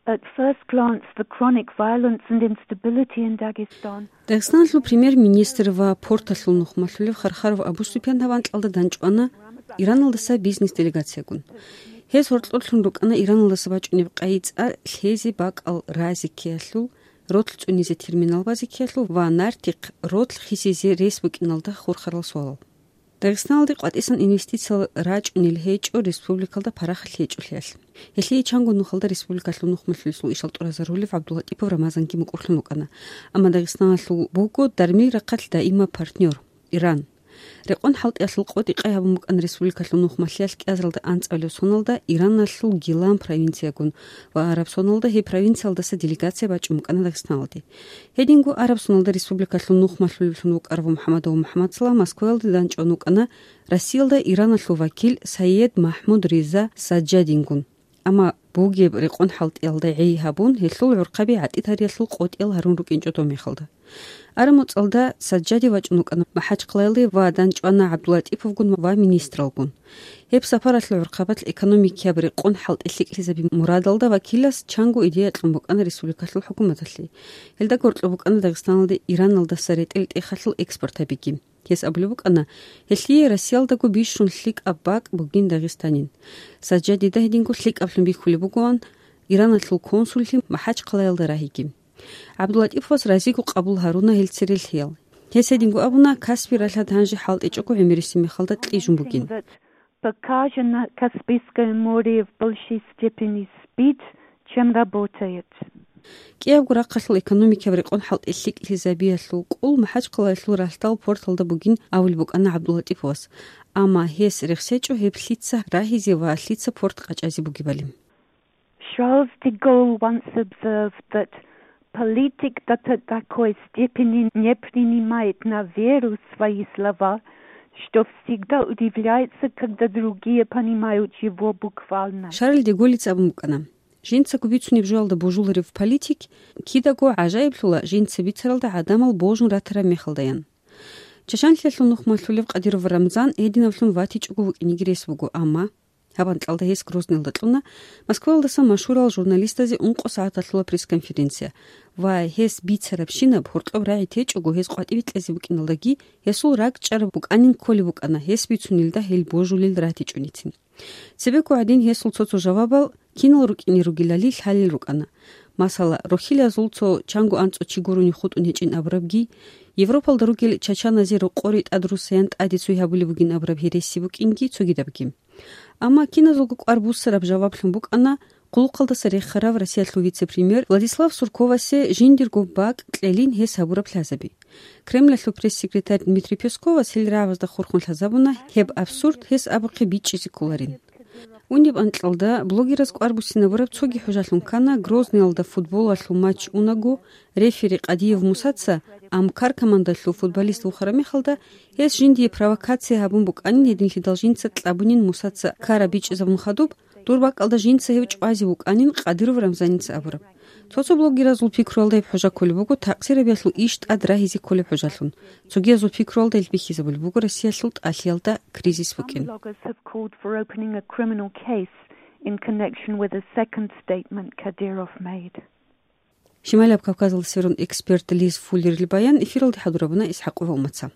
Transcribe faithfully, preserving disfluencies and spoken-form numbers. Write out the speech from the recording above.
At first glance, the chronic violence and instability in Dagestan. Дагъистаналъул премьер-министр ва порталъул нухмалъулев Хархаров Абу-Супьян гьаб анкьалда данчӀвана Ираналдаса бизнес-делегациягун. Гьез гьоркьорлъун рукӀана Ираналдаса бачӀунеб къайи-цӀа лъезе бакӀал разе ккеялъул, ролъ цӀунизе терминал базе ккеялъул ва нартихъ ролъ хисизе рес букӀиналда хурхарал суалал. Дагъистаналде къватӀисан инвестициял рачӀунел гьечӀо республикалда парахат гьечӀолъиялъ. Гьелъие чанго нухалда республикалъул нухмалъулесул ишал тӀуразарулев ГӀабдуллатӀипов Рамазанги мукӀурлъун вукӀана. Амма Дагъистаналъул буго дармил рахъалъ даимаб партнер, Иран. Рекъон хӀалтӀиялъул къотӀи-къай гьабун букӀана республикалъул нухмалъиялъ кӀиазаралда анцӀабилеб соналда Ираналъул Гилан провинциягун ва араб соналда гьеб провинциялдаса делегация бачӀун букӀана Дагъистаналде. Гьединго араб соналда республикалъул нухмалъулевлъун вукӀарав МухӀаммадов МухӀаммадсала Москваялде данчӀван вукӀана Россиялда Ираналъул вакил Сайед Махмуд Риза Саджадингун. Амма бугеб рекъон хӀалтӀиялда гӀей гьабун, гьелъул гӀурхъаби гӀатӀи-тариялъул къотӀиял гьарун рукӀинчӀо доб мехалда. Араб моцӀалда Саджади вачӀун вукӀана МахӀачхъалаялде ва данчӀвана ГӀабдуллатӀиповгун ва министралгун. Гьеб сапаралъул гӀурхъабалъ экономикияб рекъон хӀалтӀи лъикӀлъизаби мурадалда вакилас чанго идея кьун букӀана республикалъул хӀукуматалъе. Гьелда гьоркьоб букӀана Дагъистаналде Ираналдаса ретӀел тӀехалъул экспорт гьабиги. Гьес абулеб букӀана, гьелъие Россиялдаго бищун лъикӀаб бакӀ бугин Дагъистанин. Саджадида гьединго лъикӀаблъун бихьулеб бугоан Ираналъул консуллъи МахӀачхъалаялда рагьиги. ГӀабдуллатӀиповас разиго къабул гьаруна гьел церелъиял. Гьес гьединго абуна, Каспи ралъад гьанже хӀалтӀичӀого гӀемерисеб мехалда кьижун бугин. That пока же на Каспийское море в большей степени спит, чем работает. КӀиябго рахъалъул экономикияб рекъон хӀалтӀи лъикӀлъизабиялъул къул МахӀачхъалаялъул ралъдал порталда бугин абулеб букӀана ГӀабдуллатӀиповас, амма гьес рехсечӀо гьеб лъица рагьизе ва лъица порт къачӀазе бугебали. Charles de Gaulle once observed that политик до такой степени не принимает на веру свои слова, что всегда удивляется, когда другие понимают его буквально. Шарль де Голлица абун букӀана, жинцаго бицунеб жоялда божуларев политик кидаго гӀажаиблъула жинца бицаралда гӀадамал божун ратараб мехалдаян. Чачанлъиялъул нухмалъулев Кадыров Рамзан гьединаблъун ватичӀого вукӀинеги рес буго, амма гьаб анкьалда гьес Грозныйалда кьуна Москваялдаса машгьурал журналистазе ункъо сагӀаталъула пресс-конференция ва гьес бицарабщинаб гьоркьоб рагӀи течӀого гьес къватӀибе кьезе букӀиналдаги гьесул ракӀчӀараб букӀанин кколеб букӀана гьес бицунилда гьел божулел ратичӀоницин. Цебего гӀадин гьесул цо-цо жавабал кинал рукӀине ругелали лъалел рукӀана. Масала, рохьилазул цо чанго анцӀго чи гурони хутӀун гьечӀин абурабги, Европалда ругел чачаназе рокъоре тӀадруссаян тӀаде цой гьабулеб бугин абураб гьереси букӀинги цогидабги. Амма киназулго кӀвар буссараб жаваблъун букӀана хъулухъалдаса рехарав Россиялъул вице-премьер Владислав Сурковасе жиндирго бакӀ кьелин гьес гьабураб лъазаби. Кремлалъул пресс-секретарь Дмитрий Песковас гьел рагӀабазда хурхун лъазабуна гьеб абсурд гьес абухъе бичӀчӀизе кколарин. Унеб анкьалда блогераз кӀвар буссинабураб цоги хӀужалъун ккана Грозныйалда футболалъул матч унаго, рефери Къадиев Мусаца Амкар командалъул футболист вухараб мехалда, гьес жиндие провокация гьабун букӀанин гьединлъидал жинца кьабунин Мусаца ккараб бичӀчӀизабун хадуб, дур бакӀалда жинца гьев чӀвазе вукӀанин Къадыров Рамзаница абураб. Цо-цо блогеразул пикруялда гьеб хӀужа кколеб буго такъсирабиялъул иш тӀад рагьизе кколеб хӀужалъун. Цогиязул пикруялда гьел бихьизабулеб буго Россиялъул тӀалъиялда кризис букӀин. Some bloggers have called for opening a criminal case in connection with a second statement Kadyrov made. Шималияб Кавказалда сверун эксперт Лиз Фуллерил баян эфиралде хӀадурабуна ИсхӀакъова Умаца.